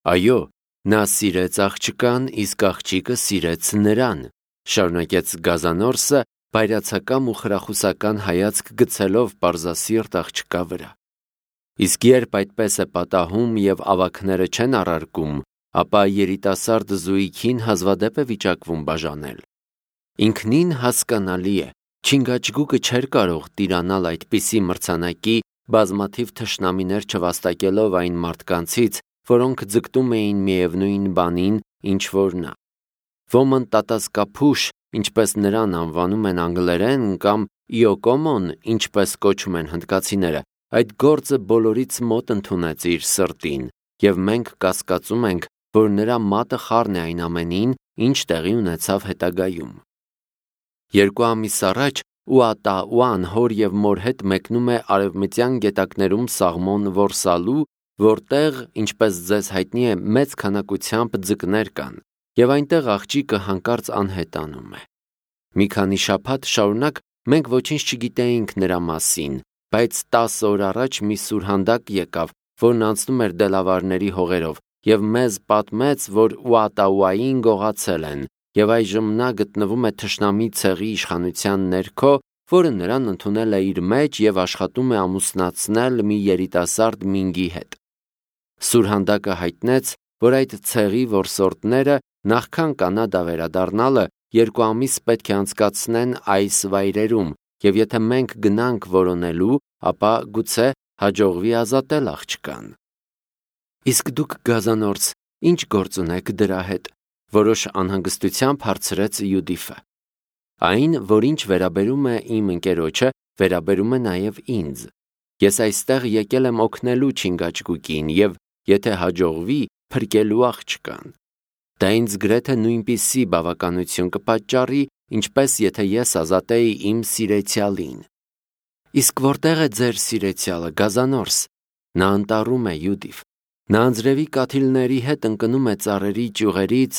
Այո, նա սիրեց աղջկան, իսկ աղջիկը սիրեց նրան, շարունակեց Գազանորսը, բայրացակամ ու խրախուսական հայացք գցելով պարզասիրտ աղջկա վրա։ Իսկ երբ այդպես է պատահում և ավագները չեն առարկում, ապա երիտասարդ զույգին հազվադեպ է վիճակվում բաժանել։ Ինքնին հասկանալի է, Չինգաչգուկը չէր կարող տիրանալ այդպիսի մրցանակի, բազմաթիվ թշնամիներ չվաստակելով այն մարդկանցից, որոնք ձգտում էին միևնույն բանին, ինչ որ նա։ Ոմն տատասկափուշ, ինչպես նրան անվանում են անգլերեն, կամ իոկոմոն, ինչպես կոչում են հնդկացիները, այդ գործը բոլորից մոտ ընդունեց իր սրտին, և մենք կասկածում ենք, որ նրա մատը խառն է այն ամենին, ինչ տեղի ունեցավ հետագայում։ 2 ամիս առաջ Ուատաուան հոր և մոր հետ մեկնում է արևմտյան գետակներում սաղմոն որսալու, որտեղ, ինչպես ձեզ հայտնի է, մեծ քանակությամբ ձկներ կան, և այնտեղ աղջիկը հանկարծ անհետանում է։ Մի քանի շաբաթ շարունակ մենք ոչինչ չգիտեինք նրա մասին, բայց 10 օր առաջ մի սուրհանդակ եկավ, որն անցնում էր դելավարների հողերով, և մեզ պատմեց, որ Ուատաուային գողացել են, և այժմ նա գտնվում է թշնամի ցեղի իշխանության ներքո, որը նրան ընդունել է իր մեջ և աշխատում է ամուսնացնել մի երիտասարդ մինգի հետ։ Սուրհանդակը հայտնեց, որ այդ ցեղի որսորդները նախքան Կանադա վերադառնալը 2 ամիս պետք է անցկացնեն այս վայրերում, և եթե մենք գնանք որոնելու, ապա գուցե հաջողվի ազատել աղջկան։ Իսկ դուք, Գազանորս, ինչ գործ ունեք դրա հետ, որոշ անհանգստությամբ հարցրեց Յուդիֆը։ Այն, որ ինչ վերաբերում է իմ ընկերոջը, վերաբերում է նաև ինձ։ Ես այստեղ եկել եմ օգնելու Չինգաչգուկին և, եթե հաջողվի, փրկելու աղջկան։ Դա ինձ գրեթե նույնպիսի բավականություն կպատճառի, ինչպես եթե ես ազատեի իմ սիրեցյալին։ Իսկ որտեղ է ձեր սիրեցյալը, Գազանորս։ Նա անտառում է, Յուդիֆ։ Նա անձրևի կաթիլների հետ ընկնում է ծառերի ճյուղերից,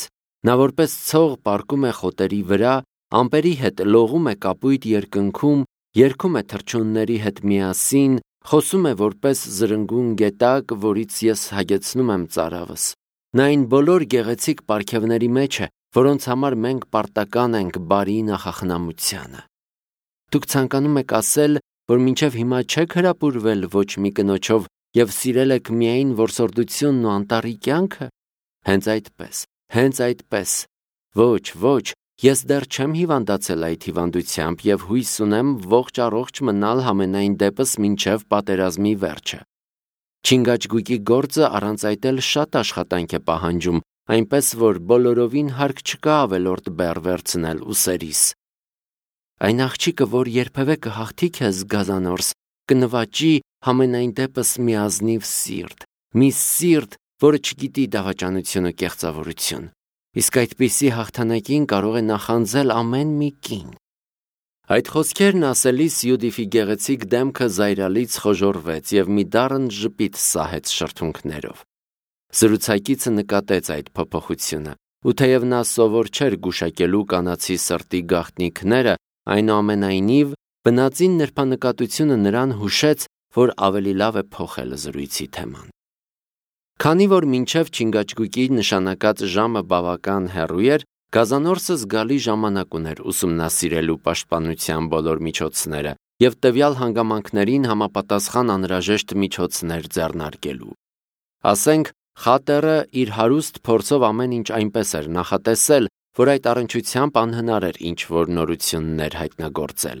նա որպես ցող պառկում է խոտերի վրա, ամպերի հետ լողում է կապույտ երկնքում, երգում է թռչունների հետ միասին, խոսում է որպես զրնգուն գետակ, որից ես հագեցնում եմ ծարավս։ Նա այն բոլոր գեղեցիկ պարգևների մեջ է, որոնց համար մենք պարտական ենք բարի նախախնամությանը։ Դուք ցանկանում եք ասել, որ մինչև հիմա չեք հրապուրվել ոչ մի կնոջով և սիրել եք միայն որսորդությունն ու անտառի կյանքը։ Հենց այդպես։ Ոչ, ես դեռ չեմ հիվանդացել այդ հիվանդությամբ և հույս ունեմ ողջ առողջ մնալ համենայն դեպս մինչև պատերազմի վերջը։ Չինգաչգուկի գործը առանց այդ էլ շատ աշխատանք է պահանջում, այնպես որ բոլորովին հարկ չկա ավելորդ բեռ վերցնել ուսերիս։ Այն աղջիկը, որ երբևէ կհաղթի քեզ, Գազանորս, կնվաճի համենայն դեպս մի ազնիվ սիրտ, մի սիրտ, որը չգիտի դավաճանություն ու կեղծավորություն։ Իսկ այդպիսի հաղթանակին կարող է նախանձել ամեն մի կին։ Այդ խոսքերն ասելիս Յուդիֆի գեղեցիկ դեմքը զայրալից խոժոռվեց և մի դառն ժպիտ սահեց շրթունքներով։ Զրուցակիցը նկատեց այդ փոփոխությունը, ու թեև նա սովոր չէր գուշակելու կանացի սրտի գաղտնիքները, այնուամենայնիվ բնածին նրբանկատությունը նրան հուշեց, որ ավելի լավ է փոխել զրույցի թեման։ Քանի որ մինչև Չինգաչգուկի նշանակած ժամը բավական հեռու էր, Գազանորսը զգալի ժամանակ ուներ ուսումնասիրելու պաշտպանության բոլոր միջոցները և տվյալ հանգամանքներին համապատասխան անհրաժեշտ միջոցներ ձեռնարկելու։ Ասենք, Խատերը իր հարուստ փորձով ամեն ինչ այնպես էր նախատեսել, որ այդ առնչությամբ անհնար էր ինչ-որ նորություններ հայտնագործել։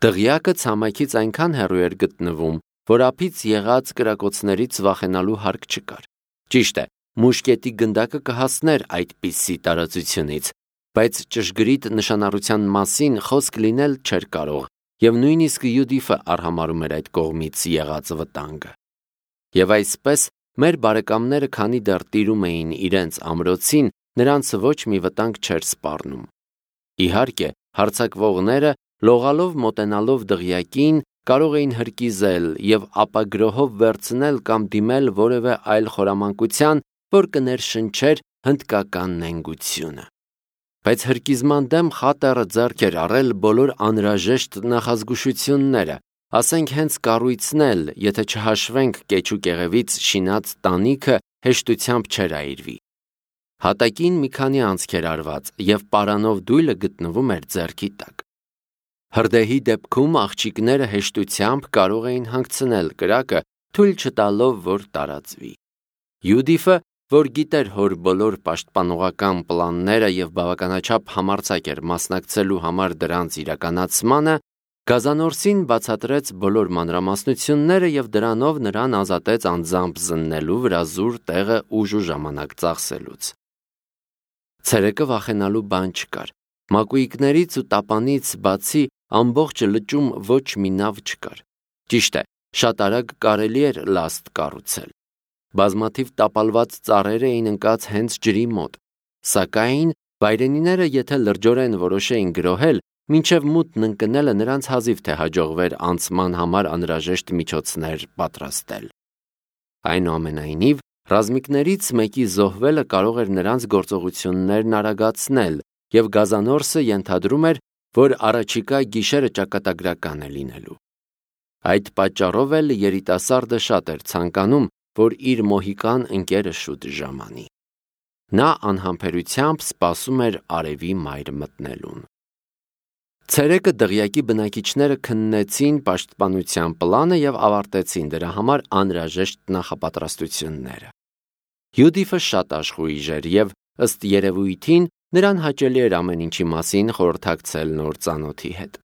Դղյակը ցամաքից այնքան հեռու էր գտնվում, որ ափից եղած կրակոցներից վախենալու հարկ չկար։ Ճիշտ է, մուշկետի գնդակը կհասներ այդպիսի տարածությունից, բայց ճշգրիտ նշանառության մասին խոսք լինել չէր կարող, և նույնիսկ Յուդիֆը արհամարհում էր այդ կողմից եղած վտանգը։ Եվ այսպես, մեր բարեկամները, քանի դեռ տիրում էին իրենց ամրոցին, նրանց ոչ մի վտանգ չէր սպառնում։ Իհարկե, հարձակվողները, լողալով մոտենալով դղյակին, կարող էին հրկիզել և ապագրոհով վերցնել կամ դիմել որևէ այլ խորամանկության, որ կներշնչեր հնդկական նենգությունը։ Բայց հրկիզման դեմ Խատերը ձեռք էր առել բոլոր անհրաժեշտ նախազգուշությունները, ասենք հենց կառույցն էլ, եթե չհաշվենք կեչու կեղևից շինած տանիքը հեշտությամբ չէր այրվի։ Հատակին մի քանի անցք էր արված, և պարանով դույլը գտնվում էր ձեռքի տակ։ Հրդեհի դեպքում աղջիկները հեշտությամբ կարող էին հանգցնել կրակը, թույլ չտալով, որ տարածվի։ Յուդիֆը, որ գիտեր հոր բոլոր պաշտպանողական պլանները և բավականաչափ համարձակ էր մասնակցելու համար դրանց իրականացմանը, գազանորսին բացատրեց բոլոր մանրամասնությունները և դրանով նրան ազատեց անձամբ զննելու վրա զուր տեղը ուժ ու ժամանակ ծախսելուց։ Ցերեկը վախենալու բան չկար։ Մակույկներից ու տապանից բացի ամբողջ լճում ոչ մի նավ չկար։ Ճիշտ է, շատ արագ կարելի էր լաստ կառուցել։ Բազմաթիվ տապալված ծառեր էին ընկած հենց ջրի մոտ, սակայն վայրենիները եթե լրջորեն որոշեին գրոհել, մինչև մութն ընկնելը նրանց հազիվ թե հաջողվեր անցման համար անհրաժեշտ միջոցներ պատրաստել։ Այնուամենայնիվ, ռազմիկներից մեկի զոհվելը կարող էր նրանց գործողություններն արագացնել, և գազանորսը ենթադրում էր, որ առաջիկա գիշերը ճակատագրական է լինելու։ Այդ պատճառով էլ երիտասարդը շատ էր ցանկանում, որ իր մոհիկան ընկերը շուտ ժամանի։ Նա անհամբերությամբ սպասում էր արևի մայր մտնելուն։ Ցերեկը դղյակի բնակիչները քննեցին պաշտպանության պլանը և ավարտեցին դրա համար անհրաժեշտ նախապատրաստությունները։ Յուդիֆը շատ աշխույժ էր և, ըստ երևույթին, նրան հաճելի էր ամեն ինչի մասին խորհրդակցել նոր ծանոթի հետ։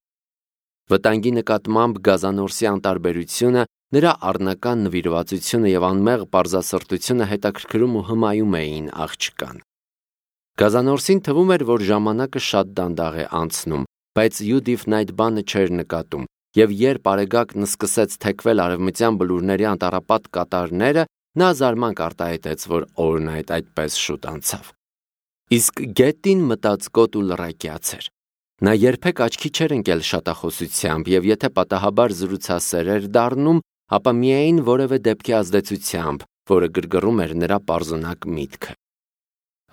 Վտանգի նկատմամբ գազանորսի անտարբերությունը, նրա առնական նվիրվածությունը և անմեղ պարզասրտությունը հետաքրքրում ու հմայում էին աղջկան։ Գազանորսին թվում էր, որ ժամանակը շատ դանդաղ է անցնում, բայց Յուդիֆն այդ բանը չէր նկատում, և երբ Արեգակն սկսեց թեքվել արևմտյան բլուրների անտառապատ կատարները, նա զարմանք արտահայտեց, որ օրն այդպես շուտ անցավ։ Իսկ Գետտին մտածկոտ ու լռակյաց էր։ Նա երբեք աչքի չէր ընկել շատախոսությամբ, և եթե պատահաբար զրուցասեր էր դառնում, ապա միայն որևէ դեպքի ազդեցությամբ, որը գրգռում էր նրա պարզունակ միտքը։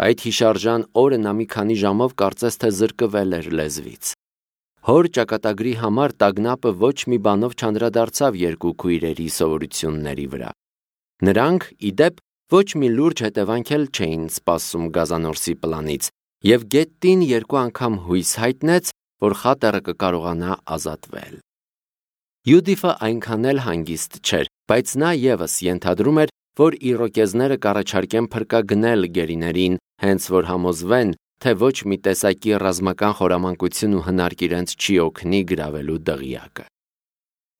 Այդ հիշարժան օրը նա մի քանի ժամով կարծես թե զրկվել էր լեզվից։ Հոր ճակատագրի համար տագնապը ոչ մի բանով չանդրադարձավ երկու քույրերի սովորությունների վրա։ Նրանք, ի դեպ, ոչ մի լուրջ հետևանք էլ չէին սպասում գազանորսի պլանից, և Գետտին երկու անգամ հույս հայտնեց, որ խատերը կկարողանա ազատվել։ Յուդիֆը այնքան էլ հանգիստ չէր, բայց նա ևս ենթադրում էր, որ իրոկեզները կառաջարկեն փրկագնել գերիներին, հենց որ համոզվեն, թե ոչ մի տեսակի ռազմական խորամանկություն ու հնարք իրենց չի օգնի գրավելու դղյակը։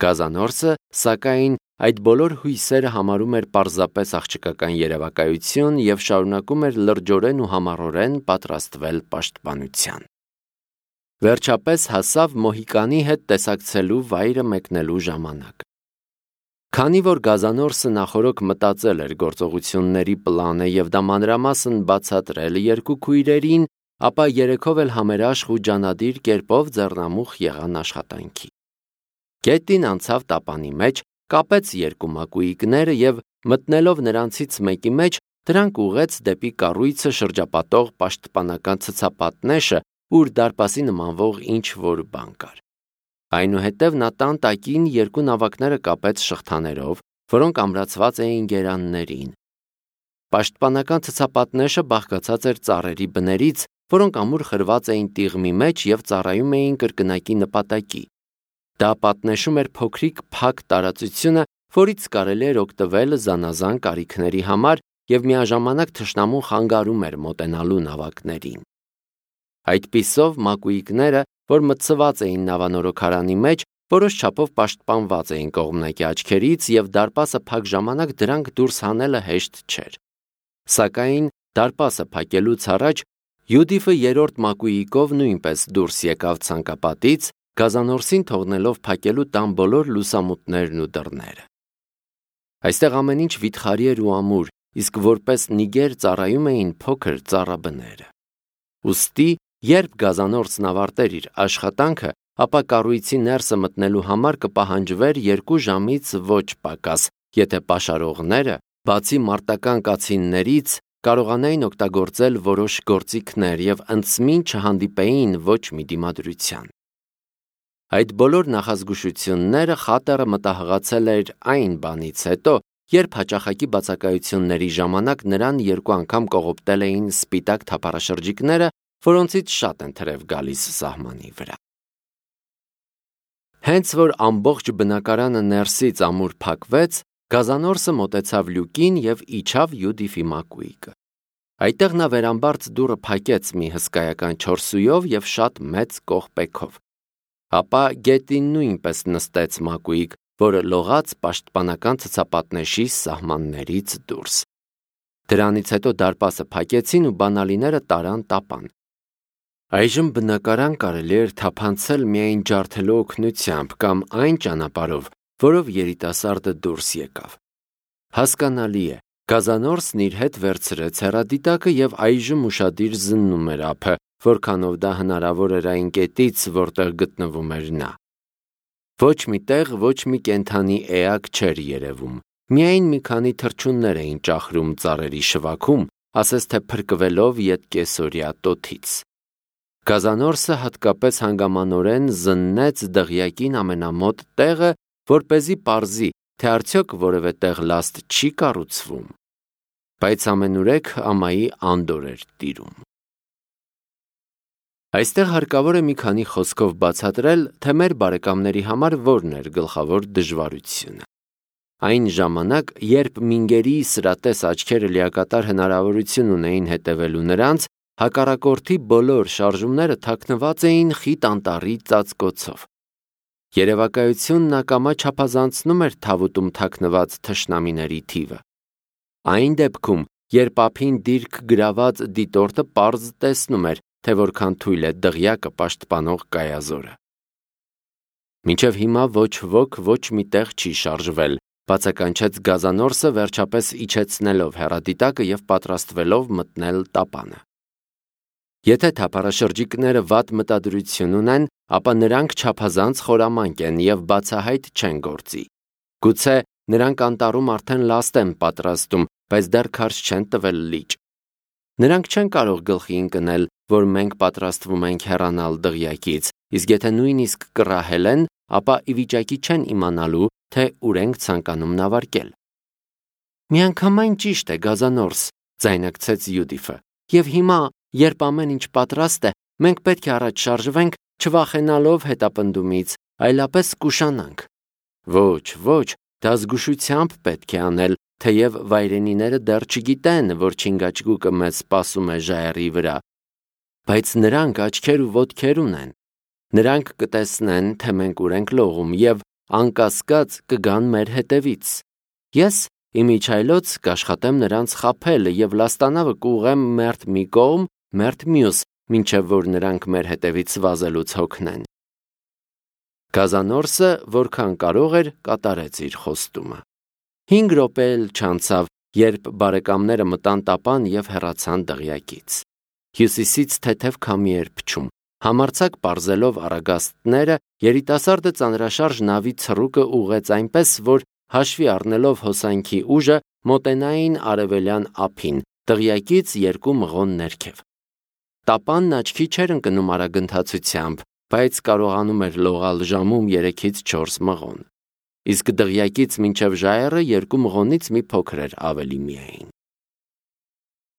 Գազանորսը, սակայն, այդ բոլոր հույսերը համարում էր պարզապես աղջկական երևակայություն և շարունակում էր լրջորեն ու համառորեն պատրաստվել պաշտպանության։ Վերջապես հասավ մոհիկանի հետ տեսակցելու վայրը մեկնելու ժամանակը։ Քանի որ գազանորսը նախօրոք մտածել էր գործողությունների պլանը և դա մանրամասն բացատրել երկու քույրերին, ապա երեքով էլ համերաշխ ու ջանադիր կերպով ձեռնամուխ եղան աշխատանքի։ Գետտին անցավ տապանի մեջ, կապեց երկու մակույկները և, մտնելով նրանցից մեկի մեջ, դրանք ուղղեց դեպի կառույցը շրջապատող պաշտպանական ցցապատնեշը, ուր դարպասի նմանվող ինչ-որ բան կար։ Այնուհետև նա տան տակին երկու նավակները կապեց շղթաներով, որոնք ամրացված էին գերաններին։ Պաշտպանական ցցապատնեշը բաղկացած էր ծառերի բներից, որոնք ամուր խրված էին տիղմի մեջ և ծառայում էին կրկնակի նպատակի։ Դա պատնեշում էր փոքրիկ փակ տարածությունը, որից կարելի էր օգտվել զանազան կարիքների համար և միաժամանակ թշնամուն խանգարում էր մոտենալու նավակներին։ Այդպիսով մակույկները, որ մտցված էին նավանորոգարանի մեջ, որոշ չափով պաշտպանված էին կողմնակի աչքերից և դարպասը փակ ժամանակ դրանք դուրս հանելը հեշտ չէր։ Սակայն դարպասը փակելուց առաջ Յուդիֆը երրորդ մակույկով նույնպես դուրս եկավ ցանկապատից, գազանորսին թողնելով փակելու տան բոլոր լուսամուտներն ու դռները։ Այստեղ ամեն ինչ վիթխարի էր ու ամուր, իսկ որպես նիգեր ծառայում էին փոքր ծառաբները։ Ուստի, երբ գազանորսն ավարտեր իր աշխատանքը, ապա կառույցի ներսը մտնելու համար կպահանջվեր 2 ժամից ոչ պակաս, եթե պաշարողները, բացի մարտական կացիններից, կարողանային օգտագործել որոշ գործիքներ և ընդսմին չհանդիպեին ոչ մի դիմադրության։ Այդ բոլոր նախազգուշությունները խատերը մտահղացել էր այն բանից հետո, երբ հաճախակի բացակայությունների ժամանակ նրան 2 անգամ կողոպտել էին սպիտակ թափառաշրջիկները, որոնցից շատ են թրև գալիս սահմանի վրա։ Հենց որ ամբողջ բնակարանը ներսից ամուր փակվեց, գազանորսը մոտեցավ լյուկին և իջավ Յուդիֆի մակույկը։ Այդտեղ նա վերամբարձ դուռը փակեց մի հսկայական 4 սույով և շատ մեծ կողպեքով։ Ապա գետին նույնպես նստեց մակույկ, որը լողաց պաշտպանական ցցապատնեշի սահմաններից դուրս։ Դրանից հետո դարպասը փակեցին ու բանալիները տարան տապան։ Այժմ բնակարան կարելի էր թափանցել միայն ջարդելու օգնությամբ կամ այն ճանապարհով, որով երիտասարդը դուրս եկավ։ Հասկանալի է, գազանորսն իր հետ վերցրեց հեռադիտակը և այժմ ուշադիր զննում էր ափը, որքանով դա հնարավոր էր այն կետից, որտեղ գտնվում էր նա։ Ոչ մի տեղ ոչ մի կենդանի էակ չէր երևում, միայն մի քանի թռչուններ էին ճախրում ծառերի շվաքում, ասես թե փրկվելով ետկեսօրյա տոթից։ Գազանորսը հատկապես հանգամանորեն զննեց դղյակին ամենամոտ տեղը, որպեսզի պարզի, թե արդյոք որևէ տեղ լաստ չի կառուցվում։ Բայց ամենուրեք ամայի անդորր էր տիրում։ Այստեղ հարկավոր է մի քանի խոսքով բացատրել, թե մեր բարեկամների համար որն էր գլխավոր դժվարությունը։ Այն ժամանակ, երբ մինգերի սրատես աչքերը լիակատար հնարավորություն ունեին հետևելու նրանց, հակառակորդի բոլոր շարժումները թաքնված էին խիտ անտառի ծածկոցով։ Երևակայությունն ակամա չափազանցնում էր թավուտում թաքնված թշնամիների թիվը։ Այն դեպքում, երբ ափին դիրք գրաված դիտորդը պարզ տեսնում էր, թե որքան թույլ է դղյակը պաշտպանող կայազորը։ Մինչև հիմա ոչ ոք ոչ մի տեղ չի շարժվել, բացականչեց գազանորսը վերջապես իջեցնելով հեռադիտակը և պատրաստվելով մտնել տապանը։ Եթե թափառաշրջիկները վատ մտադրություն ունեն, ապա նրանք չափազանց խորամանկ են և բացահայտ չեն գործի։ Գուցե նրանք անտառում արդեն լաստ են պատրաստում, բայց դեռ քարշ չեն տվել լիճ։ Նրանք չեն կարող գլխի ընկնել, որ մենք պատրաստվում ենք հեռանալ դղյակից, իսկ եթե նույնիսկ կռահել են, ապա ի վիճակի չեն իմանալու, թե ուր ենք ցանկանում նավարկել։ Միանգամայն ճիշտ է, գազանորս, ձայնարկեց Յուդիֆը, և հիմա, երբ ամեն ինչ պատրաստ է, մենք պետք է առաջ շարժվենք, չվախենալով հետապնդումից, այլապես կուշանանք։ Ոչ, դա զգուշությամբ պետք է անել, թեև վայրենիները դեռ չգիտեն, որ չինգաչգուկը մեզ սպասում է ժայռի վրա։ Բայց նրանք աչքեր ու ոտքեր ունեն։ Նրանք կտեսնեն, թե մենք ուր ենք լողում և անկասկած կգան մեր հետևից։ Ես իմիջայլոց կաշխատեմ նրանց խաբել և լաստանավը կուղղեմ մերթ մի կողմ, մերթ մյուս, մինչև որ նրանք մեր հետևից վազելուց հոգնեն։ Գազանորսը, որքան կարող էր, կատարեց իր խոստումը։ 5 րոպե էլ չանցավ, երբ բարեկամները մտան տապան և հեռացան դղյակից։ Հյուսիսից թեթև քամի էր փչում։ Համարձակ պարզելով առագաստները, երիտասարդը ծանրաշարժ նավի ցռուկը ուղղեց այնպես, որ հաշվի առնելով հոսանքի ուժը, մոտենային արևելյան ափին, դղյակից 2 մղոն ներքև։ Տապանն աչքի չէր ընկնում արագընթացությամբ, բայց կարողանում էր լողալ ժամում 3-ից 4 մղոն։ Իսկ դղյակից մինչև ժայռը 2 մղոնից մի փոքր էր ավելի միայն։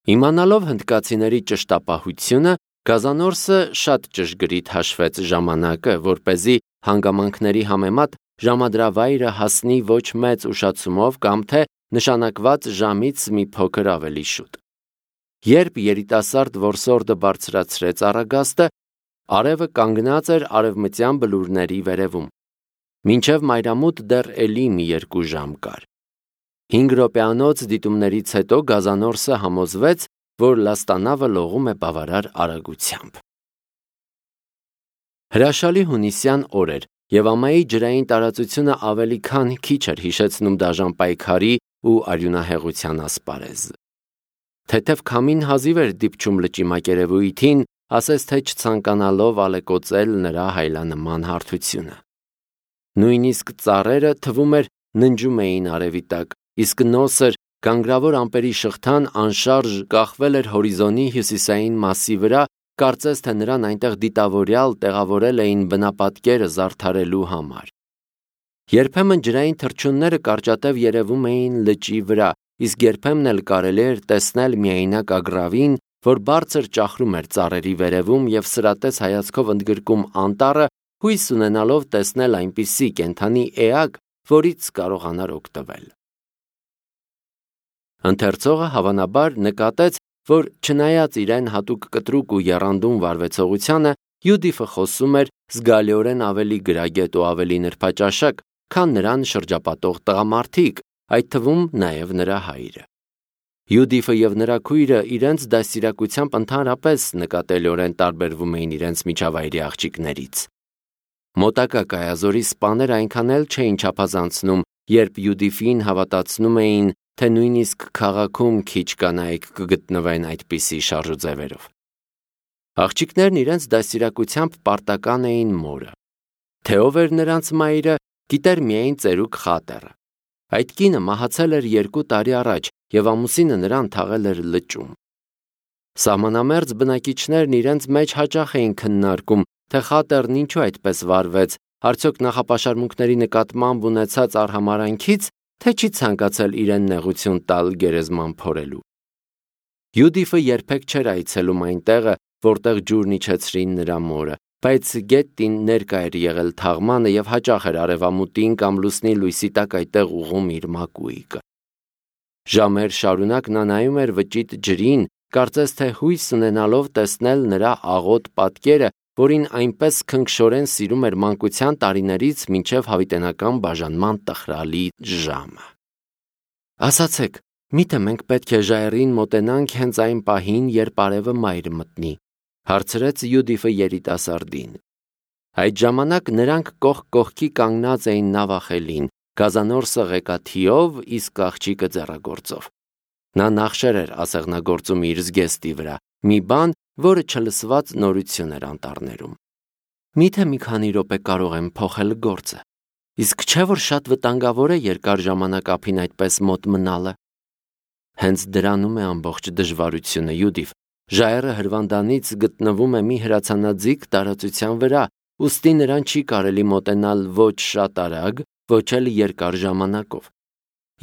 Իմանալով հնդկացիների ճշտապահությունը, գազանորսը շատ ճշգրիտ հաշվեց ժամանակը, որպեսզի հանգամանքների համեմատ ժամադրավայրը հասնի ոչ մեծ ուշացումով կամ թե նշանակված ժամից մի փոքր ավելի շուտ։ Երբ երիտասարդ որսորդը բարձրացրեց առագաստը, արևը կանգնած էր արևմտյան բլուրների վերևում։ Մինչև մայրամուտ դեռ էլի մի 2 ժամ կար։ 5 րոպեանոց դիտումներից հետո գազանորսը համոզվեց, որ լաստանավը լողում է բավարար արագությամբ։ Հրաշալի հունիսյան օր էր, և ամայի ջրային տարածությունը ավելի քան քիչ էր հիշեցնում դաժան պայքարի ու արյունահեղության ասպարեզ։ Թեթև քամին հազիվ էր դիպչում լճի մակերևույթին, ասես թե չցանկանալով ալեկոծել նրա հայլանման հարթությունը։ Նույնիսկ ծառերը, թվում էր, ննջում էին արևի տակ, իսկ նոսր, գանգրավոր ամպերի շղթան անշարժ կախվել էր հորիզոնի հյուսիսային մասի վրա, կարծես թե նրան այնտեղ դիտավորյալ տեղավորել էին բնապատկերը զարդարելու համար։ Երբեմն ջրային թռչունները կարճատև երևում էին լճի վրա, իսկ երբեմն էլ կարելի էր տեսնել միայնակ ագռավին, որ բարձր ճախրում էր ծառերի վերևում և սրատես հայացքով ընդգրկում անտառը, հույս ունենալով տեսնել այնպիսի կենդանի էակ, որից կարողանար օգտվել։ Ընթերցողը հավանաբար նկատեց, որ չնայած իրեն հատուկ կտրուկ ու եռանդուն վարվեցողությանը, Յուդիֆը խոսում էր զգալիորեն ավելի գրագետ ու ավելի նրբաճաշակ, քան նրան շրջապատող տղամարդիկ, այդ թվում նաև նրա հայրը։ Յուդիֆը և նրա քույրը իրենց դաստիարակությամբ ընդհանրապես նկատելիորեն տարբերվում էին իրենց միջավայրի աղջիկներից։ Մոտակա կայազորի սպաները այնքան էլ չէին չափազանցնում, երբ Յուդիֆին հավատացնում էին, թե նույնիսկ քաղաքում քիչ կանայք կգտնվեն այդպիսի շարժուձևերով։ Աղջիկներն իրենց դաստիարակությամբ պարտական էին մորը։ Թե ով էր նրանց մայրը, գիտեր միայն ծերուկ Խատերը։ Այդ կինը մահացել էր 2 տարի առաջ և ամուսինը նրան թաղել էր լճում։ Սահմանամերձ բնակիչներն իրենց մեջ հաճախ էին քննարկում, թե Խատերն ինչու այդպես վարվեց, արդյոք նախապաշարմունքների նկատմամբ ունեցած արհամարհանքից, թե չի ցանկացել իրեն նեղություն տալ գերեզման փորելու։ Յուդիֆը երբեք չէր այցելում այն տեղը, որտեղ ջուրն իջեցրին նրա մորը, բայց գետին ներկա էր եղել թաղմանը և հաճախ էր արևամուտին կամ լուսնի լույսի տակ այդտեղ ուղղում իր մակույկը։ Ժամեր շարունակ նա նայում էր վճիտ ջրին, կարծես թե հույս ունենալով տեսնել նրա աղոտ պատկերը, որին այնպես քնքշորեն սիրում էր մանկության տարիներից մինչև հավիտենական բաժանման տխրալի ժամը։ Ասացեք, միթե մենք պետք է ժայռին մոտենանք հենց այն պահին, երբ արևը մայր մտնի, հարցրեց Յուդիֆը երիտասարդին։ Այդ ժամանակ նրանք կողք կողքի կանգնած էին նավախելին, գազանորսը ղեկաթիով, իսկ աղջիկը ձեռագործով։ Նա նախշեր էր ասեղնագործում իր զգեստի վրա, մի բան, որը չլսված նորություն էր անտառներում։ Միթե մի քանի րոպե կարող եմ փոխել գործը, իսկ չէ՞ որ շատ վտանգավոր է երկար ժամանակ ափին այդպես մոտ մնալը։ Հենց դրանում է ամբողջ դժվարությունը, Յուդիֆ։ Ժայռը հրվանդանից գտնվում է մի հրացանաձիգ տարածության վրա, ուստի նրան չի կարելի մոտենալ ոչ շատ արագ, ոչ էլ երկար ժամանակով։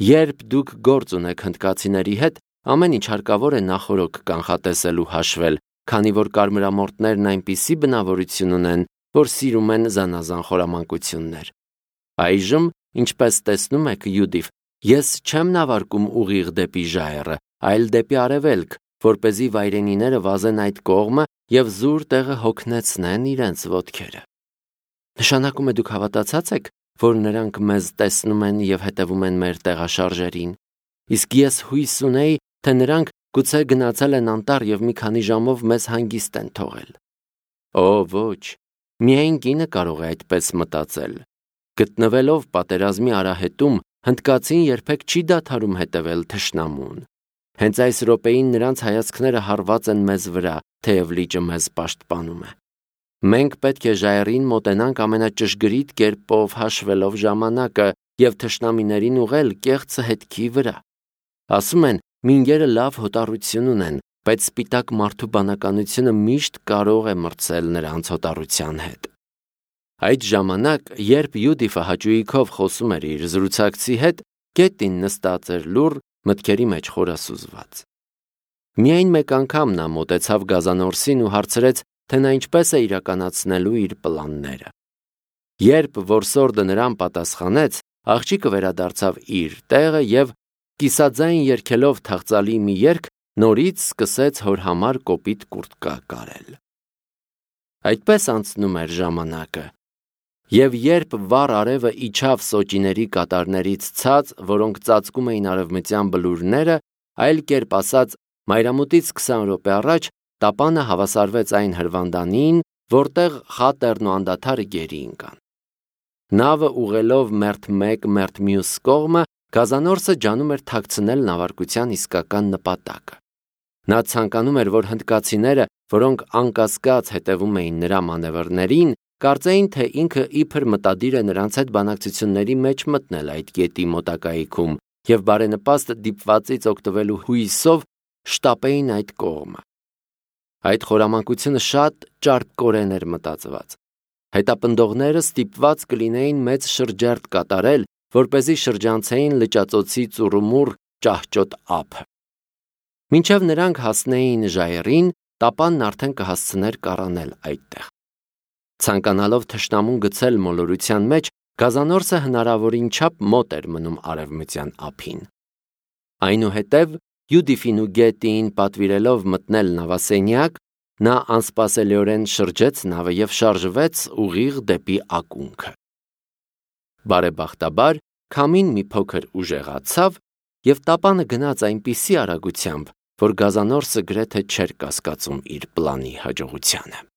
Երբ դուք գործ ունեք հնդկացիների հետ, ամեն ինչ հարկավոր է նախօրոք կանխատեսել ու հաշվել, քանի որ կարմրամորթներն այնպիսի բնավորություն ունեն, որ սիրում են զանազան խորամանկություններ։ Այժմ, ինչպես տեսնում եք, Յուդիֆ, ես չեմ նավարկում ուղիղ դեպի ժայռը, այլ դեպի արևելք, որպեսզի վայրենիները վազեն այդ կողմը և զուր տեղը հոգնեցնեն իրենց ոտքերը։ Նշանակում է դուք հավատացած եք, որ նրանք մեզ տեսնում են և հետևում են մեր տեղաշարժերին, իսկ ես հույս ունեի, թե նրանք գուցե գնացել են անտառ և մի քանի ժամով մեզ հանգիստ են թողել։ Օ, ոչ, միայն կինը կարող է այդպես մտածել։ Գտնվելով պատերազմի արահետում, հնդկացին երբեք չի դադարում հետևել թշնամուն։ Հենց այս րոպեին նրանց հայացքները հառված են մեզ վրա, թեև լիճը մեզ պաշտպանում է։ Մենք պետք է ժայռին մոտենանք ամենաճշգրիտ կերպով հաշվելով ժամանակը և թշնամիներին ուղղել կեղծ հետքի վրա։ Ասում են, մինգերը լավ հոտառություն ունեն, բայց սպիտակ մարդու բանականությունը միշտ կարող է մրցել նրանց հոտառության հետ։ Այդ ժամանակ, երբ Յուդիֆը հաճույքով խոսում էր իր զրուցակցի հետ, գետին նստած էր լուռ, մտքերի մեջ խորասուզված։ Միայն մեկ անգամ նա մոտեցավ գազանորսին ու հարցրեց, թե նա ինչպես է իրականացնելու իր պլանները։ Երբ որսորդը նրան պատասխանեց, աղջիկը վերադարձավ իր տեղը և, կիսաձայն երգելով թախծալի մի երգ, նորից սկսեց հոր համար կոպիտ կուրտկա կարել։ Այդպես անցնում էր ժամանակը։ Եվ երբ վառ արևը իջավ սոճիների կատարներից ցած, որոնք ծածկում էին արևմտյան բլուրները, այլ կերպ ասած, մայրամուտից 20 րոպե առաջ տապանը հավասարվեց այն հրվանդանին, որտեղ Խատերն ու անդադարը գերի ընկան։ Նավը ուղղելով մերթ մեկ, մերթ մյուս կողմը, գազանորսը ջանում էր թաքցնել նավարկության իսկական նպատակը։ Նա ցանկանում էր, որ հնդկացիները, որոնք անկասկած հետևում էին նրա մանևրներին, կարծեին, թե ինքը իբր մտադիր է նրանց հետ բանակցությունների մեջ մտնել այդ գետի մոտակայքում և բարենպաստ դիպվածից օգտվելու հույսով շտապեին այդ կողմը։ Այդ խորամանկությունը շատ ճարպկորեն էր մտածված։ Հետապնդողները ստիպված կլինեին մեծ շրջերթ կատարել, որպեսզի շրջանցեին լճածոցի ծուռումուռ ճահճոտ ափը։ Մինչև նրանք հասնեին ժայռին, տապանն արդեն կհասցներ կառանել այդտեղ։ Ցանկանալով թշնամուն գցել մոլորության մեջ, գազանորսը հնարավորին չափ մոտ էր մնում արևմտյան ափին։ Այնուհետև Յուդիֆին ու Գետիին պատվիրելով մտնել նավասենյակ, նա անսպասելիորեն շրջեց նավը և շարժվեց ուղիղ դեպի ակունքը։ Բարեբախտաբար, քամին մի փոքր ուժեղացավ և տապանը գնաց այնպիսի արագությամբ, որ գազանորսը գրեթե չէր կասկածում իր պլանի հաջողությանը։